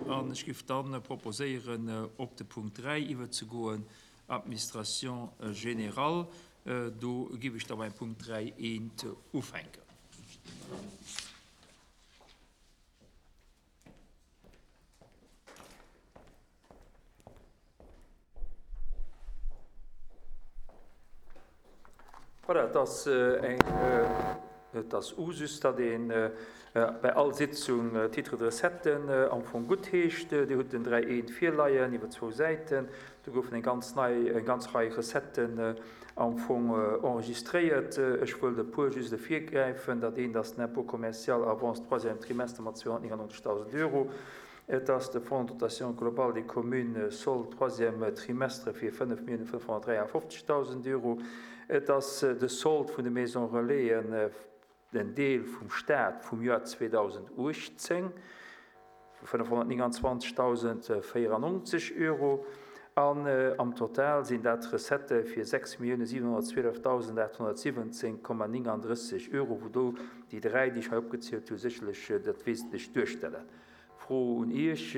An ech géif dann proposéieren, op de Punkt 3 iwwerzegoen, Administration générale. Do géif ech da beim Punkt 3 eent ufänken. Voilà, et ass eng, et ass Usus, datt ee bei all Sitzung d'Titres de recetten am Fong guttheescht. Dir hutt den 3 eent virleien iwwer zwou Säiten. Do goufen eng ganz nei, eng ganz Rei Recetten am Fong enregistréiert. Ech wëllt e puer just ervirgräifen. Dat eent ass den Impôt commercial avance troisième trimestre mat 299.000 Euro. Et ass de Fonds de dotation globale des communes solde troisième trimestre fir 5.553.000 Euro. Et ass de Solde vun de Maisons relaisen, den Deel vum Stat vum Joer 2018 vu 529.094 Euro. An am Total sinn dat Recettë fir 6.712.817,39 Euro, wou do déi dräi, déi ech hei opgezielt hu, sécherlech dat Wesentlecht duerstellen. Fro un Iech,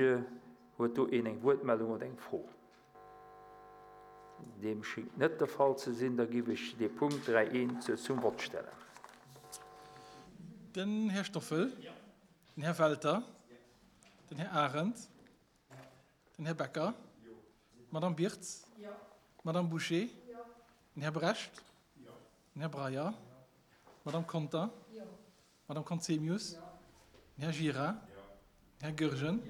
Huet do een eng Wuertmeldung oder eng Fro? Deem schéngt net de Fall ze sinn. Da giff ech dee Punkt 3 eent zum Vott stellen. Den Här Stoffel. Den Här Welter. Den Här Arendt. Den Här Becker. D'Madame Birtz. D'Madame Bouché. Den Här Brecht. Den Här Breyer. D'Madame Conter. D'Madame Conzemius. Den Här Gira. Den Här Goergen.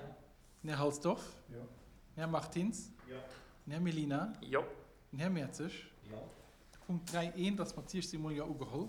Den Här Halsdorf. Den Här Martins. Den Här Mellina. Den Här Mertzig. De Punkt 3 eent ass mat 16 mol Jo ugeholl.